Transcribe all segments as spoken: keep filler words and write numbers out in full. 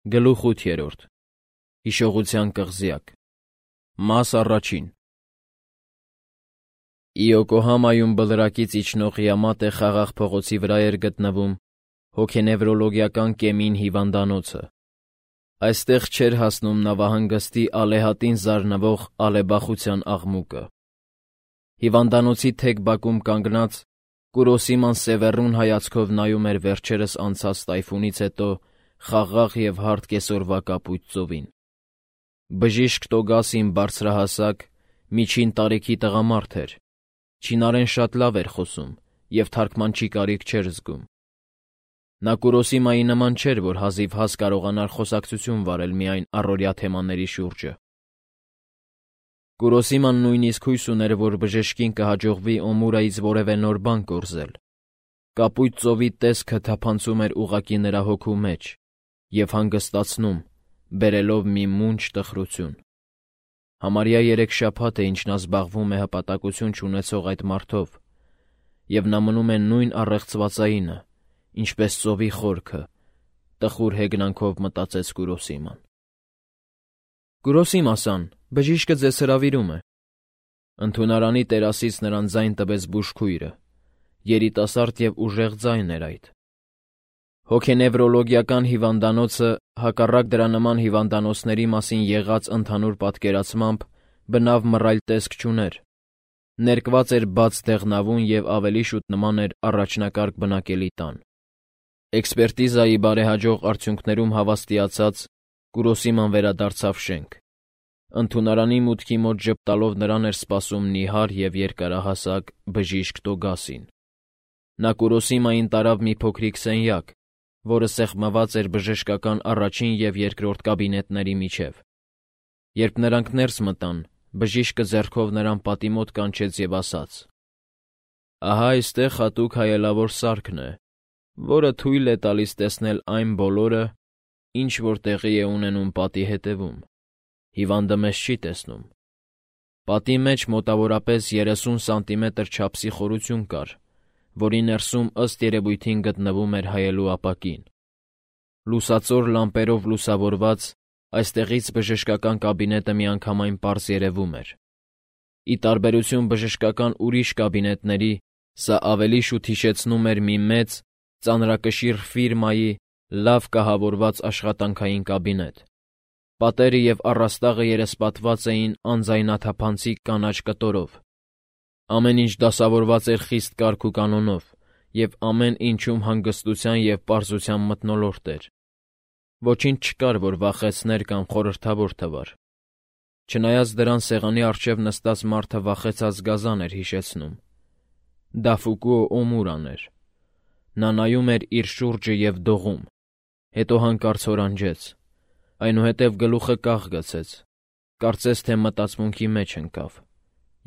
Գլուխ ութ. Հիշողության կղզյակ։ Մաս առաջին։ Իոկոհամայում բլրակից իջնող Յամատե խաղաղ փողոցի վրա էր գտնվում հոգենևրոլոգիական կեմին հիվանդանոցը։ Այստեղ չէր հասնում նավահանգստի ալեհատին զարնվող ալեբախության աղմուկը։ Հիվանդանոցի թեք բակում կանգնած Կուրոսիման սևեռուն հայացքով նայում էր վերջերս անցած տայֆունից հետո խաղաղ և հարթ կեսօրվա կապույտ ծովին։ Բժիշկ Տոգասին բարձրահասակ, միջին տարիքի տղամարդ էր, չինարեն շատ լավ էր խոսում և թարգմանչի կարիք չէր զգում։ Նա Կուրոսիմայի նման չէր, որ հազիվ հաս կարողանար խոսակցություն վարել միայն առօրյա թեմաների շուրջը։ Կուրոսիման նույնիսկ հույս ուներ, որ բժշկին կհաջողվի Օմուրայից որևէ նոր բան կորզել։ Կապույտ ծովի տեսքը թափանցում էր ուղղակի նրա հոգու մեջ և հանգստացնում, բերելով մի մունջ տխրություն։ Համարյա երեք շաբաթ է, ինչ նա զբաղվում է հպատակություն չունեցող այդ մարդով, և նա մնում է նույն առեղծվածայինը, ինչպես ծովի խորքը, տխուր հեգնանքով մտածեց Կուրոսիման։ Կուրոսիմա-սան, բժիշկը ձեզ հրավիրում է։ Ընդունարանի տերասից նրան ձայն տվեց բուժքույրը, երիտասարդ և ուժեղ ձայն էր այդ։ Հոգենևրոլոգիական հիվանդանոցը, հակառակ դրա նման հիվանդանոցների մասին եղած ընդհանուր պատկերացմամբ, բնավ մռայլ տեսք չուներ։ Ներկված էր բաց դեղնավուն և ավելի շուտ նման էր առաջնակարգ բնակելի տան։ Էքսպերտիզայի բարեհաջող արդյունքներում հավաստիացած Կուրոսիման վերադարձավ շենք։ Ընդունարանի մուտքի մոտ ժպտալով նրան էր սպասում նիհար և երկարահասակ բժիշկ Տոգասին։ Նա Կուրոսիմային տարավ մի փոքրիկ սենյակ, որը սեղմված էր բժշկական առաջին և երկրորդ կաբինետների միջև։ Երբ նրանք ներս մտան, բժիշկը ձեռքով նրան պատի մոտ կանչեց և ասաց. «Ահա այստեղ հատուկ հայելավոր սարքն է, որը թույլ է տալիս տեսնել այն բոլորը, ինչ որ տեղի է ունենում պատի հետևում։ Հիվանդը մեզ չի տեսնում»։ Պատի մեջ մոտավորապես երեսուն սանտիմետր չափսի խորություն կար, որի ներսում ըստ երևույթին գտնվում էր հայելու ապակին։ Լուսածոր լամպերով լուսավորված, այստեղից բժշկական կաբինետը միանգամայն պարզ երևում էր։ Ի տարբերություն բժշկական ուրիշ կաբինետների, սա ավելի շուտ հիշեցնում էր մի մեծ, ծանրակշիռ ֆիրմայի լավ կահավորված աշխատանքային կաբինետ։ Պատերը և առաստաղը երեսպատված էին անձայնաթափանցիկ կանաչ կտորով։ Ամեն ինչ դասավորված էր խիստ կարգ ու կանոնով, և ամեն ինչում հանգստության և պարզության մթնոլորտ էր։ Ոչինչ չկար, որ վախեցներ կամ խորհրդավոր թվար։ Չնայած դրան սեղանի առջև նստած մարդը վախեցած գազան էր հիշեցնում։ Դա Ֆուկուո Օմուրան էր։ Նա նայում էր իր շուրջը և դողում, հետո հանկարծ հորանջեց, այնուհետև գլուխը կախ գցեց, կարծես թե մտածմունքի մեջ ընկավ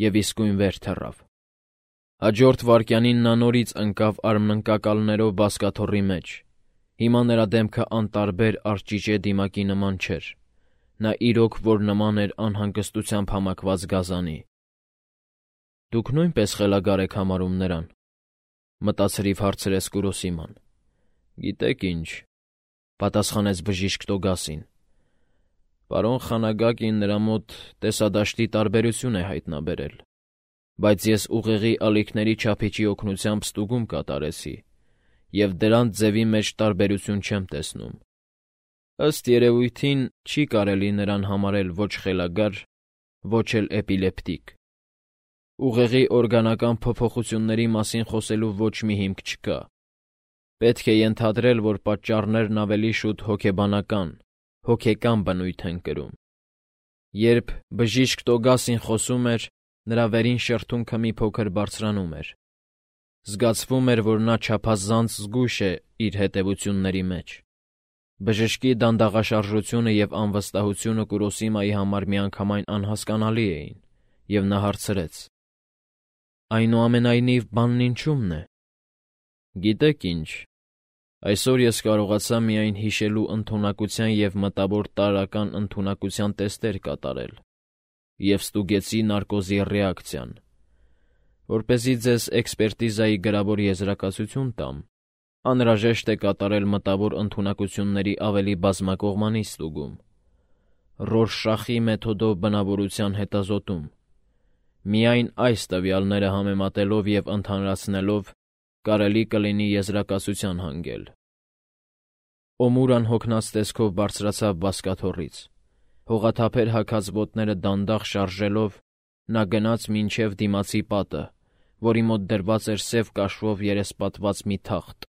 և իսկույն վեր թռավ։ Հաջորդ վայրկյանին նա նորից ընկավ արմնանկակալներով բազկաթոռի մեջ։ Հիմա նրա դեմքը անտարբեր արճիճե դիմակի նման չէր։ Նա իրոք որ նման էր անհանգստությամբ համակված գազանի։ «Դուք նույնպես խելագար եք համարում նրան», մտածրիվ հարցրեց Կուրոսիման։ «Գիտեք ինչ», պատասխանեց բժիշկ Տոգասին, «պարոն Խանագակին նրա մոտ տեսադաշտի տարբերություն է հայտնաբերել, բայց ես ուղեղի ալիքների չափիչի օգնությամբ ստուգում կատարեցի և դրանց ձևի մեջ տարբերություն չեմ տեսնում։ Ըստ երևույթին չի կարելի նրան համարել ոչ խելագար, ոչ էլ էպիլեպտիկ։ Ուղեղի օրգանական փոփոխությունների մասին խոսելու ոչ մի հիմք չկա։ Պետք է ենթադրել, որ պատճառներն ավելի շուտ հոգեբանական, հոգեկան բնույթ են կրում»։ Երբ բժիշկ Տոգասին խոսում էր, նրա վերին շրթունքը մի փոքր բարձրանում էր։ Զգացվում էր, որ նա չափազանց զգույշ է իր հետևությունների մեջ։ Բժշկի դանդաղաշարժությունը և անվստահությունը Կուրոսիմայի համար միանգամայն անհասկանալի էին, և նա հարցրեց. «Այնուամենայնիվ, բանն ինչու՞մն է»։ «Գիտեք ինչ, այսօր ես կարողացա միայն հիշելու ընդունակության և մտավոր տարրական ընդունակության տեստեր կատարել և ստուգեցի նարկոզի ռեակցիան։ Որպեսզի ձեզ էքսպերտիզայի գրավոր եզրակացություն տամ, անհրաժեշտ է կատարել մտավոր ընդունակությունների ավելի բազմակողմանի ստուգում, Ռորշախի մեթոդով բնավորության հետազոտում։ Միայն այս տվյալները համեմատելով և ընդհանրացնելով կարելի կլինի եզրակացության հանգել։ Օմուրան հոգնած տեսքով բարձրացավ բազկաթոռից, հողաթափեր հագած ոտները դանդաղ շարժելով նա գնաց մինչև դիմացի պատը, որի մոտ դրված էր սև կաշվով երեսպատված մի թախտ,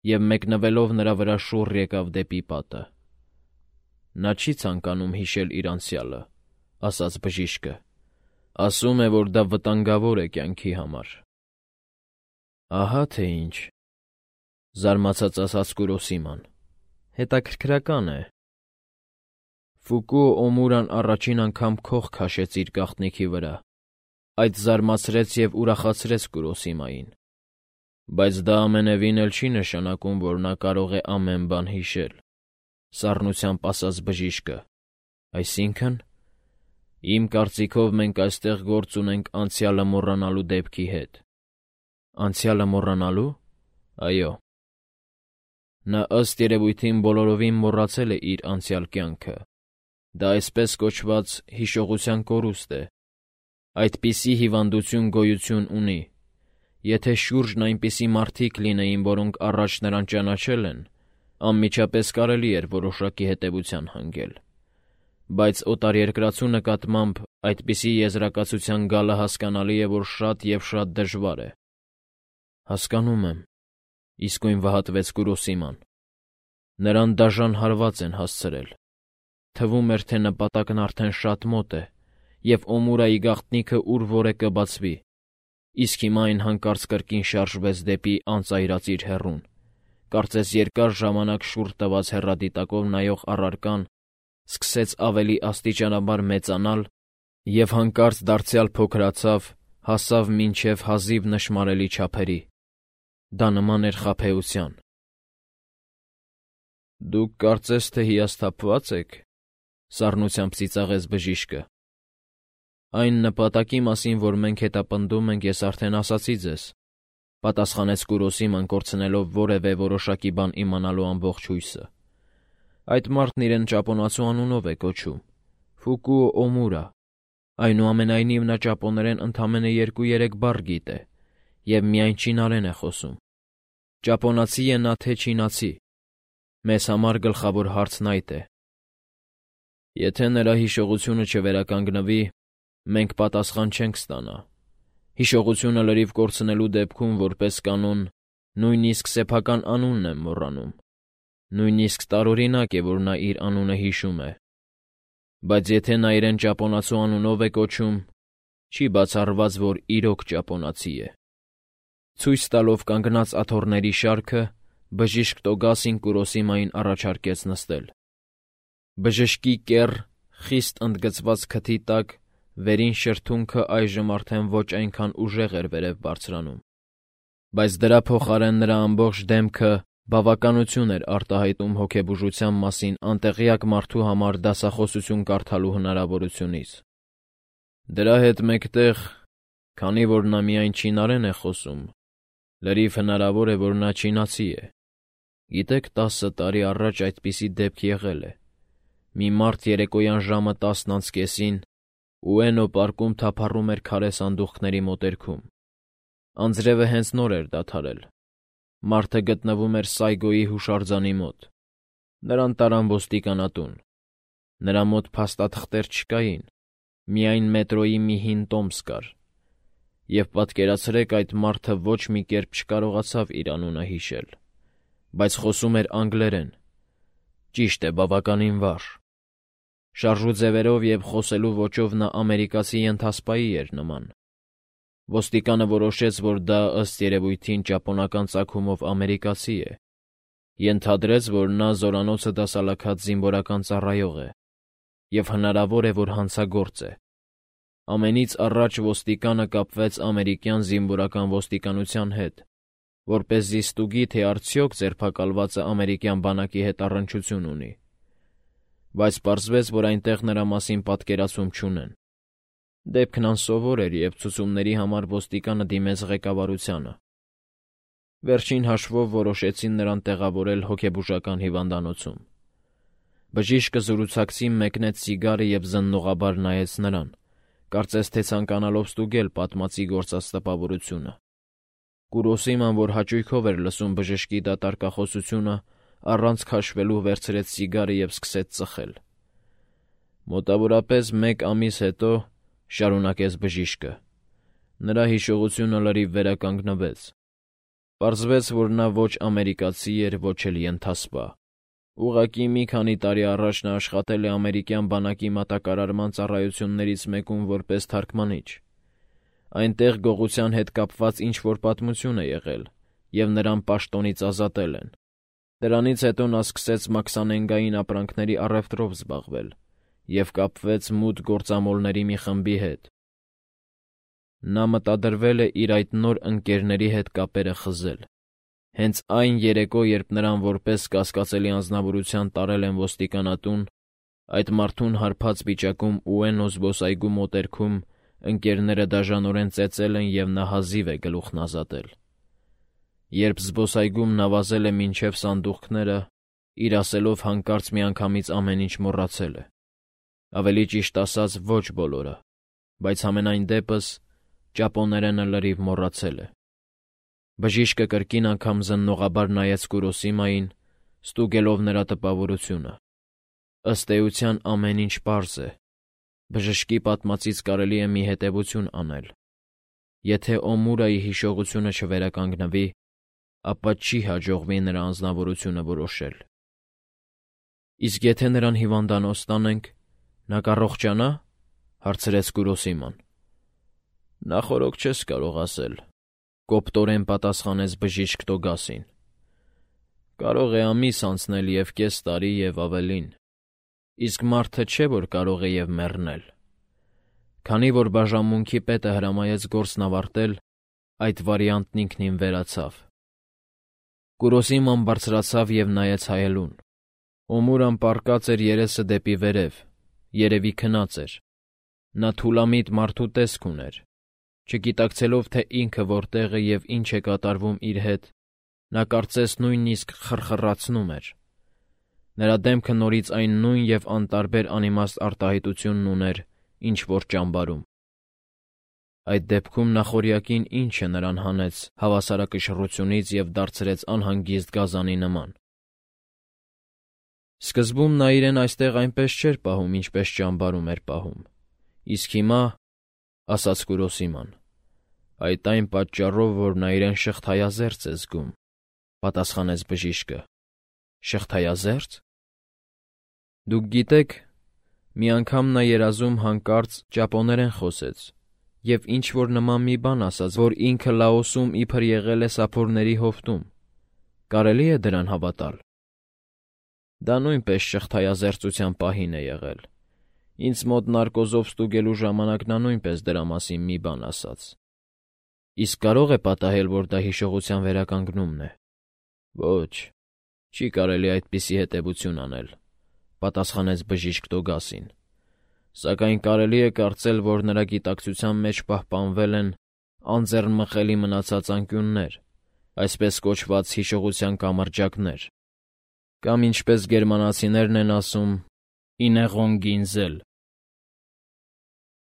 և մեկնվելով նրա վրա շուռ եկավ դեպի պատը։ Նա չի ցանկանում հիշել իր անցյալը, ասաց բժիշկը, ասում է, որ դա վտանգավոր է կյանքի համար։ Ահա թե ինչ, զարմացած ասաց Կուրոսիման, հետաքրքրական է։ Ֆուկուո Օմուրան առաջին անգամ քող քաշեց իր գաղտնիքի վրա, այդ զարմացրեց և ուրախացրեց Կուրոսիմային, բայց դա ամենևին էլ չի նշանակում, որ նա կարող է ամեն բան հիշել, սառնությամբ ասաց բժիշկը, այսինքն, իմ կարծիքով մենք այստեղ գործ ունենք անցյալը մոռանալու դեպքի հետ։ Անցյալը մոռանալու։ Այո։ Նա ըստ երևույթին բոլորովին մոռացել է իր անցյալ կյանքը։ Դա այսպես կոչված հիշողության կորուստ է։ Այդպիսի հիվանդություն գոյություն ունի։ Եթե շուրջն այնպիսի մարդիկ լինեին, որոնք առաջ նրան ճանաչել են, անմիջապես կարելի էր որոշակի հետևության հանգել։ Բայց օտարերկրացու նկատմամբ այդպիսի եզրակացության գալը հասկանալի է, որ շատ և շատ դժվար է։ Հասկանում եմ, իսկույն վհատվեց Կուրոսիման։ Նրան դաժան հարված են հասցրել։ Թվում էր, թե նպատակն արդեն շատ մոտ է, և Օմուրայի գաղտնիքը ուր որ է կբացվի, իսկ հիմա այն հանկարծ կրկին շարժվեց դեպի անծայրածիր հեռուն, կարծես երկար ժամանակ շուռ տված հեռադիտակով նայող առարկան սկսեց ավելի աստիճանաբար մեծանալ և հանկարծ դարձյալ փոքրացավ, հասավ մինչև հազիվ նշմարելի չափերի։ Դա նման էր խաբեության։ Դուք կարծես թե հիասթափվա՞ծ եք, սառնությամբ ծիծաղեց բժիշկը։ Այն նպատակի մասին, որ մենք հետապնդում ենք, ես արդեն ասացի ձեզ, պատասխանեց Կուրոսիման, կորցնելով որևէ որոշակի բան իմանալու ամբողջ հույսը։ Այդ մարդն իրեն ճապոնացու անունով է կոչում՝ Ֆուկուո Օմուրա։ Այնուամենայնիվ նա ճապոներեն ընդամենը երկու-երեք բառ գիտե և միայն չինարեն է խոսում։ Ճապոնացի է նա թե չինացի։ Մեզ համար գլխավոր հարցն այդ է։ Եթե նրա հիշողությունը չվերականգնվի, մենք պատասխան չենք ստանա։ Հիշողությունը լրիվ կորցնելու դեպքում, որպես կանոն, նույնիսկ սեփական անունն եմ մոռանում։ Նույնիսկ տարօրինակ է, որ նա իր անունը հիշում է։ Բայց եթե նա իրեն ճապոնացու անունով է կոչում, չի բացառված, որ իրոք ճապոնացի է։ Ցույց տալով կանգնած աթոռների շարքը, բժիշկ Տոգասին Կուրոսիմային առաջարկեց նստել։ Բժշկի կեռ, խիստ ընդգծված քթի տակ վերին շրթունքը այժմ արդեն ոչ այնքան ուժեղ էր վերև բարձրանում, բայց դրա փոխարեն նրա ամբողջ դեմքը բավականություն էր արտահայտում հոգեբուժության մասին անտեղյակ մարդու համար դասախոսություն կարդալու հնարավորությունից։ Դրա հետ մեկտեղ, քանի որ նա միայն չինարեն է խոսում, լրիվ հնարավոր է, որ նա չինացի է։ Գիտեք, տասը տարի առաջ այդպիսի դեպք եղել է։ Մի մարդ երեկոյան ժամը տասն անց կեսին Ուենո պարկում թափառում էր քարե սանդուղքների մոտերքում։ Անձրևը հենց նոր էր դադարել։ Մարդը գտնվում էր Սայգոյի հուշարձանի մոտ։ Նրան տարան ոստիկանատուն։ Նրա մոտ փաստաթղթեր չկային, միայն մետրոյի մի հին տոմս կար։ Եվ պատկերացրեք, այդ մարդը ոչ մի կերպ չկարողացավ իր անունը հիշել, բայց խոսում էր անգլերեն։ Ճիշտ է, բավականին վառ։ Շարժու ձևերով և խոսելու ոճով նա ամերիկացի ենթասպայի էր նման։ Ոստիկանը որոշեց, որ դա ըստ երևույթին ճապոնական ծագումով ամերիկացի է։ Ենթադրեց, որ նա զորանոցը դասալաքած զինվորական ծառայող է և հնարավոր է, որ հանցագործ է։ Ամենից առաջ ոստիկանը կապվեց ամերիկյան զինվորական ոստիկանության հետ, որպեսզի ստուգի, թե արդյոք ձերբակալվածը ամերիկյան բանակի հետ առնչություն ունի, բայց պարզվեց, որ այնտեղ նրա մասին պատկերացում չունեն։ Դեպքն անսովոր էր, և ցուցումների համար ոստիկանը դիմեց ղեկավարությանը։ Վերջին հաշվով որոշեցին նրան տեղավորել հոգեբուժական հիվանդանոցում։ Բժիշկը զրուցակցին մեկնեց սիգարը և զննողաբար նայեց նրան, կարծես թե ցանկանալով ստուգել պատմածի գործած տպավորությունը։ Կուրոսիման, որ հաճույքով էր լսում բժշկի դատարկախոսությունը, առանց քաշվելու վերցրեց սիգարը և սկսեց ծխել։ Մոտավորապես մեկ ամիս հետո, շարունակեց բժիշկը, նրա հիշողությունը լրիվ վերականգնվեց։ Պարզվեց, որ նա ոչ ամերիկացի էր, ոչ էլ ենթասպա։ Ուղղակի մի քանի տարի առաջ նա աշխատել է ամերիկյան բանակի մատակարարման ծառայություններից մեկում որպես թարգմանիչ։ Այնտեղ գողության հետ կապված ինչ-որ պատմություն է եղել, և նրան պաշտոնից ազատել են։ Դրանից հետո նա սկսեց մաքսանենգային ապրանքների առևտրով զբաղվել և կապվեց մութ գործամոլների մի խմբի հետ։ Նա մտադրվել է իր այդ նոր ընկերների հետ կապերը խզել։ Հենց այն երեկո, երբ նրան որպես կասկածելի անձնավորության տարել են ոստիկանատուն, այդ մարդուն հարբած վիճակում Ուենո զբոսայգու մոտերքում ընկերները դաժանորեն ծեծել են և նա հազիվ է գլուխն ազատել։ Երբ զբոսայգում նավազել է մինչև սանդուղքները, իր ասելով հանկարծ միանգամից ամեն ինչ մոռացել է։ Ավելի ճիշտ ասած, ոչ բոլորը, բայց համենայն դեպս ճապոներենը լրիվ մոռացել է։ Բժիշկը կրկին անգամ զննողաբար նայեց Կուրոսիմային, ստուգելով նրա տպավորությունը։ Ըստ էության ամեն ինչ պարզ է։ Բժշկի պատմածից կարելի է մի հետևություն անել։ Եթե Օմուրայի հիշողությունը չվերականգնվի, ապա չի հաջողվի նրա անձնավորությունը որոշել։ Իսկ եթե նրան հիվանդանոց տանենք, նա կառողջանա՞, հարցրեց Կուրոսիման։ Նախօրոք չես կարող ասել, կոպտորեն պատասխանեց բժիշկ Տոգասին։ Կարող է ամիս անցնել և կես տարի և ավելին, իսկ մարդը չէ, որ կարող է և մեռնել։ Քանի որ բաժանմունքի պետը հրամայեց գործն ավարտել, այդ վարիանտն ինքնին վերացավ։ Կուրոսիման բարձրացավ և նայեց հայելուն։ Օմուրան պառկած էր երեսը դեպի վերև, երևի քնած էր։ Նա թուլամիտ մարդու տեսք ուներ։ Չգիտակցելով, թե ինքը որտեղ է և ինչ է կատարվում իր հետ, նա կարծես նույնիսկ խռխռացնում էր։ Նրա դեմքը նորից այն նույն և անտարբեր անիմաստ արտահայտությունն ուներ, ինչ որ ճամբարում։ Այդ դեպքում նախօրյակին ինչ է նրան հանեց հավասարակշռությունից և դարձրեց անհանգիստ գազանի նման։ Սկզբում նա իրեն այստեղ այնպես չէր պահում, ինչպես ճամբարում էր պահում, իսկ հիմա, ասաց Կուրոսիման, այդ այն պատճառով, որ նա իրեն շղթայազերծ է զգում, պատասխանեց բժիշկը։ Շղթայազե՞րծ։ Դուք գիտեք, մի անգամ նա երազում հանկարծ ճապոներեն խոսեց և ինչ-որ նման մի բան ասաց, որ ինքը Լաոսում իբր եղել է սափորների հովտում։ Կարելի է դրան հավատալ։ Դա նույնպես շղթայազերծության պահին է եղել։ Ինձ մոտ նարկոզով ստուգելու ժամանակ նա նույնպես դրա մասին մի բան ասաց։ Իսկ կարո՞ղ է պատահել, որ դա հիշողության վերականգնումն է։ Ոչ, չի կարելի այդպիսի հետևություն անել, պատասխանեց բժիշկ Տոգասին։ Սակայն կարելի է կարծել, որ նրա գիտակցության մեջ պահպանվել են անձեռնմխելի մնացած անկյուններ, այսպես կոչված հիշողության կամրջակներ, կամ ինչպես գերմանացիներն են ասում, ինեղոնգինզել։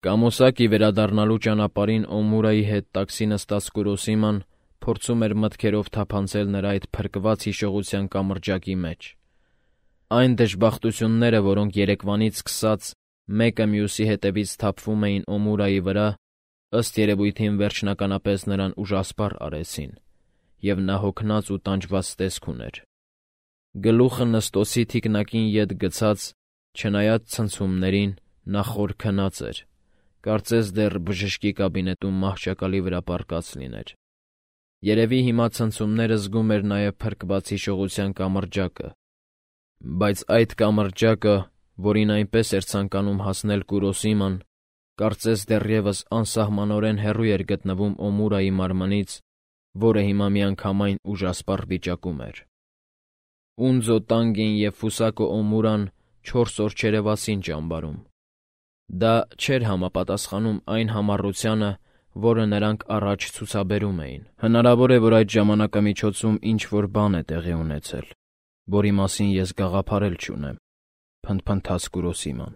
Կամոսակի վերադառնալու ճանապարհին Օմուրայի հետ տաքսի նստած Կուրոսիման փորձում էր մտքերով թափանցել նրա այդ փրկված հիշողության կամրջակի մեջ։ Այն դժբախտությունները, որոնք երեկվանից սկսած մեկը մյուսի հետևից թափվում էին Օմուրայի վրա, ըստ երևույթին վերջնականապես նրան ուժասպառ արեցին, և նա հոգնած ու տանջված տեսք ուներ։ Գլուխը նստոցի թիկնակին ետ գցած, չնայած ցնցումներին, նա խոր քնած էր, կարծես դեռ բժշկի կաբինետում մահճակալի վրա պառկած լիներ։ Երևի հիմա ցնցումները զգում էր նաև փրկված հիշողության կամրջակը, բայց այդ կամրջակը, որին այնպես էր ցանկանում հասնել Կուրոսիման, կարծես դեռևս անսահմանորեն հեռու էր գտնվում Օմուրայի մարմնից, որը հիմա միանգամայն ուժասպառ վիճակում էր։ Ունձո Տանգին և Ֆուսակո Օմուրան չորս օր չերևացին ճամբարում։ Դա չէր համապատասխանում այն համառությանը, որը նրանք առաջ ցուցաբերում էին։ Հնարավոր է, որ այդ ժամանակամիջոցում ինչ-որ բան է տեղի ունեցել, որի մասին ես գաղափարել չունեմ, փնթփնթաց Կուրոսիման։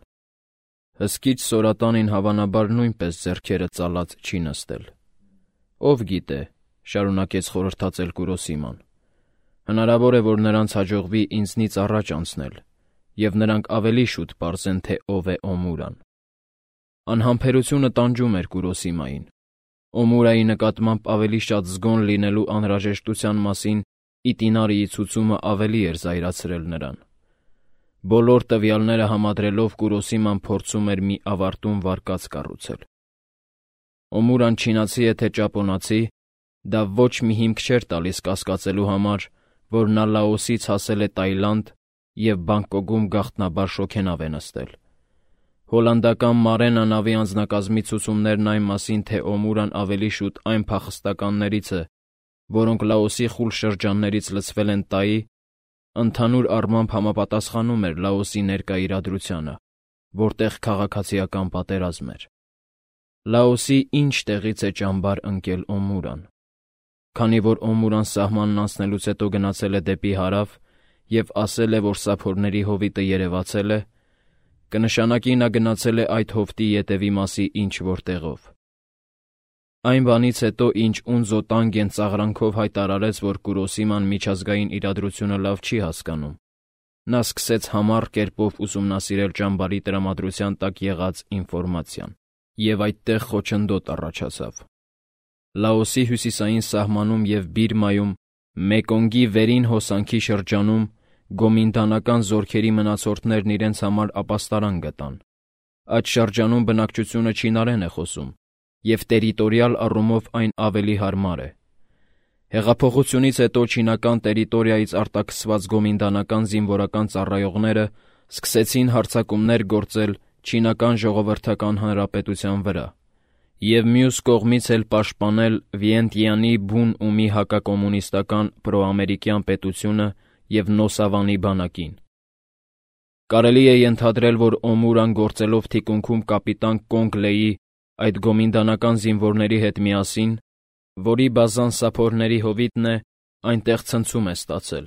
Հսկիչ Սորատանին հավանաբար նույնպես ձեռքերը ծալած չի նստել։ Ով գիտե, շարունակեց խորհրդածել Կուրոսիման։ Հնարավոր է, որ նրանց հաջողվի ինձնից առաջ անցնել, և նրանք ավելի շուտ պարզեն, թե ով է Օմուրան։ Անհամբերությունը տանջում էր Կուրոսիմային։ Օմուրայի նկատմամբ ավելի շատ զգոն լինելու անհրաժեշտության մասին Իտինարիի ցուցումը ավելի էր զայրացրել նրան։ Բոլոր տվյալները համադրելով Կուրոսիման փորձում էր մի ավարտուն վարկած կառուցել։ Օմուրան չինացի է թե ճապոնացի, դա ոչ մի հիմք չէր տալիս կասկածելու համար, որ նա Լաոսից հասել է Տայլանդ և Բանգկոկում գաղտնաբար շոգենավ է նստել։ Հոլանդական Մարենա նավի անձնակազմի ցուցումներն այն մասին, թե Օմուրան ավելի շուտ այն փախստականներից է, որոնք Լաոսի խուլ շրջաններից լցվել են Տայի, ընդհանուր առմամբ համապատասխանում էր Լաոսի ներկա իրադրությանը, որտեղ քաղաքացիական պատերազմ էր։ Լաոսի ինչ տեղից է ճամբար ընկել Օմուրան։ Քանի որ Օմուրան սահմանն անցնելուց հետո գնացել է դեպի հարավ և ասել է, որ սափորների հովիտը երևացել է, կնշանակի նա գնացել է այդ հովտի ետևի մասի ինչ-որ տեղով։ Այն բանից հետո, ինչ Ունզո Տանգեն ծաղրանքով հայտարարեց, որ Կուրոսիման միջազգային իրադրությունը լավ չի հասկանում, նա սկսեց համառ կերպով ուսումնասիրել ճամբարի տրամադրության տակ եղած ինֆորմացիան, և այդտեղ խոչընդոտ առաջացավ։ Լաոսի հյուսիսային սահմանում և Բիրմայում Մեկոնգի վերին հոսանքի շրջանում գոմինդանական զորքերի մնացորդներն իրենց համար ապաստարան գտան։ Այդ շրջանում բնակչությունը չինարեն է խոսում, և տերիտորիալ առումով այն ավելի հարմար է։ Հեղափոխությունից հետո չինական տերիտորիայից արտաքսված գոմինդանական զինվորական ծառայողները սկսեցին հարձակումներ գործել Չինական Ժողովրդական Հանրապետության վրա և մյուս կողմից էլ պաշտպանել Վիենտյանի բուն ումի հակակոմունիստական պրոամերիկյան պետությունը և Նոսավանի բանակին։ Կարելի է ենթադրել, որ Օմուրան գործելով թիկունքում կապիտան Կոնգ Լեի այդ գոմինդանական զինվորների հետ միասին, որի բազան սափորների հովիտն է, այնտեղ ցնցում է ստացել։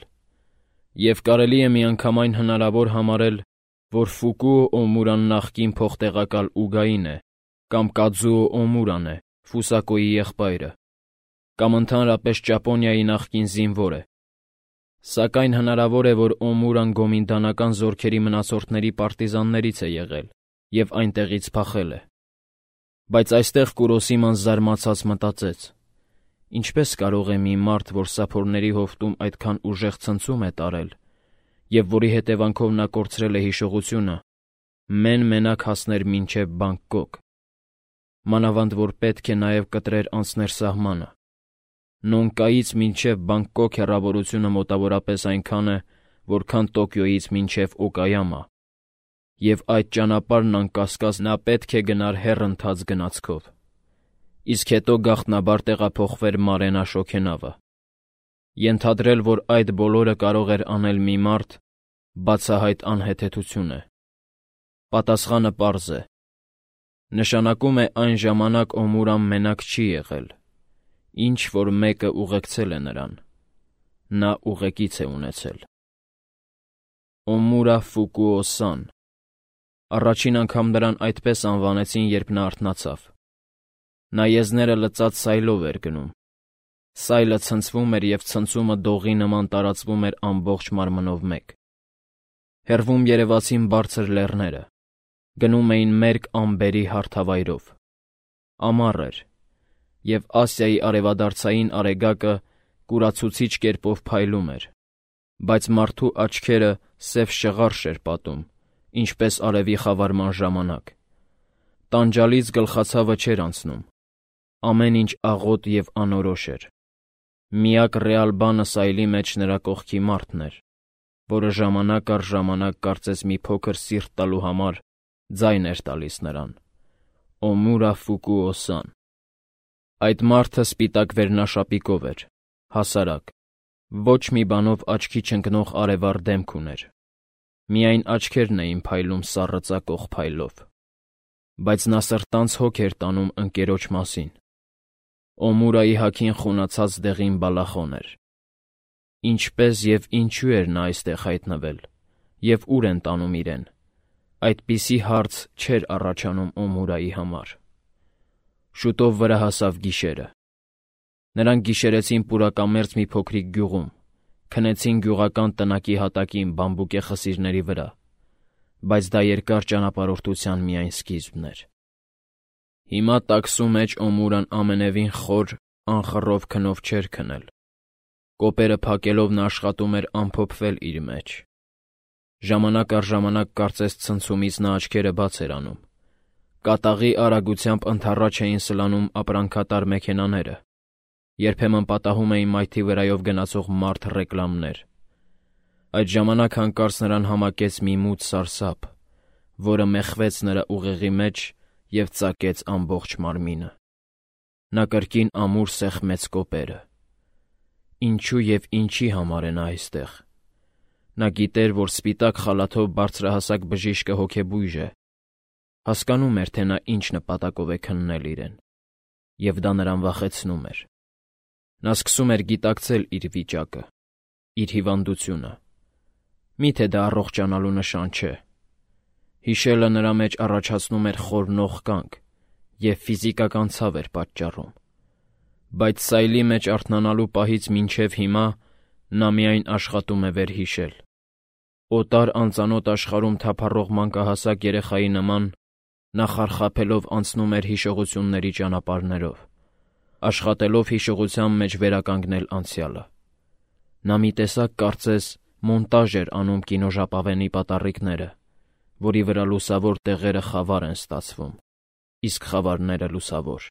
Եվ կարելի է միանգամայն հնարավոր համարել, որ Ֆուկուո Օմուրան նախկին փոխտեղակալ Ուգային է, կամ Կադզուո Օմուրան է, Ֆուսակոյի եղբայրը, կամ ընդհանրապես Ճապոնիայի նախկին զինվոր է։ Սակայն հնարավոր է, որ Օմուրան գոմինդանական զորքերի մնացորդների պարտիզաններից է եղել և այնտեղից փախել է։ Բայց այստեղ Կուրոսիման զարմացած մտածեց. ինչպես կարող է մի մարդ, որ սափորների հովտում այդքան ուժեղ ցնցում է տարել, և որի հետևանքով նա կորցրել է հիշողությունը, մեն-մենակ հասներ մինչև Բանգկոկ, մանավանդ որ պետք է նաև կտրեր անցներ սահմանը։ Նոնկայից մինչև Բանգկոկ հեռավորությունը մոտավորապես այնքան է, որքան Տոկիոյից մինչև Օկայամա, և այդ ճանապարհն անկասկած նա պետք է գնար հեռընթաց գնացքով, իսկ հետո գաղտնաբար տեղափոխվեր Մարենա շոգենավը։ Ենթադրել, որ այդ բոլորը կարող էր անել մի մարդ, բացահայտ անհեթեթություն է։ Պատասխանը պարզ է։ Նշանակում է այն ժամանակ Օմուրան մենակ չի եղել, ինչ-որ մեկը ուղեկցել է նրան, նա ուղեկից է ունեցել։ Օմուրա Ֆուկուո-սան։ Առաջին անգամ նրան այդպես անվանեցին, երբ նա արթնացավ։ Նա եզները լծած սայլով էր գնում։ Սայլը ցնցվում էր և ցնցումը դողի նման տարածվում էր ամբողջ մարմնով մեկ։ Հեռվում երևացին բարձր լեռները, գնում էին մերկ ամբերի հարթավայրով։ Ամառ էր, և Ասիայի արևադարձային արեգակը կուրացուցիչ կերպով փայլում էր, բայց մարդու աչքերը սև շղարշ էր պատում, ինչպես արևի խավարման ժամանակ։ Տանջալից գլխացավը չէր անցնում։ Ամեն ինչ աղոտ և անորոշ էր։ Միակ ռեալ բանը սայլի մեջ նրա կողքի մարդն էր, որը ժամանակ առ ժամանակ կարծես մի փոքր սիրտ տալու համար ձայն էր տալիս նրան. Օմուրա Ֆուկուո-սան։ Այդ մարդը սպիտակ վերնաշապիկով էր, հասարակ, ոչ մի բանով աչքի չընկնող արևառ դեմք ուներ։ Միայն աչքերն էին փայլում սառը ծակող փայլով։ Բայց նա սրտանց հոգ էր տանում ընկերոջ մասին, Օմուրայի հագին խունացած դեղին բալախոն էր։ Ինչպես և ինչու էր նա այստեղ հայտնվել, և ուր են տանում իրեն, այդպիսի հարց չէր առաջանում Օմուրայի համար։ Շուտով վրա հասավ գիշերը։ Նրանք գիշերեցին պուրակամերձ մի փոքրիկ գյուղում, քնեցին գյուղական տնակի հատակին բամբուկե խսիրների վրա, բայց դա երկար ճանապարհորդության միայն սկիզբն էր։ Հիմա տաքսու մեջ Օմուրան ամենևին խոր, անխռով քնով չէր քնել։ Կոպերը փակելով նա աշխատում էր ամփոփվել իր մեջ։ Ժամանակ առ ժամանակ կարծես ցնցումից նա աչքերը բաց էր անում։ Կատաղի արագությամբ ընդառաջ էին սլանում ապրանքատար մեքենաները, երբեմն պատահում էին մայթի վրայով գնացող մարդ ռեկլամներ։ Այդ ժամանակ հանկարծ նրան համակեց մի մութ սարսափ, որը մեխվեց նրա ուղեղի մեջ և ծակեց ամբողջ մարմինը։ Նա կրկին ամուր սեղմեց կոպերը։ Ինչու և ինչի համար է նա այստեղ։ Նա գիտեր, որ սպիտակ խալաթով բարձրահասակ բժիշկը հոգեբույժ է, հասկանում էր, թե նա ինչ նպատակով է քննել իրեն, և դա նրան վախեցնում էր։ Նա սկսում էր գիտակցել իր վիճակը, իր հիվանդությունը։ Մի՞թե դա առողջանալու նշան չէ։ Հիշելը նրա մեջ առաջացնում էր խորնող կանգ և ֆիզիկական ցավ էր պատճառում։ Բայց սայլի մեջ արթնանալու պահից մինչև հիմա նա միայն աշխատում է վերհիշել։ Օտար անծանոթ աշխարհում թափառող մանկահասակ երեխայի նման նա խարխափելով անցնում էր հիշողությունների ճանապարհներով, աշխատելով հիշողության մեջ վերականգնել անցյալը։ Նա մի տեսակ կարծես մոնտաժ էր անում կինոժապավենի պատառիկները, որի վրա լուսավոր տեղերը խավար են ստացվում, իսկ խավարները՝ լուսավոր։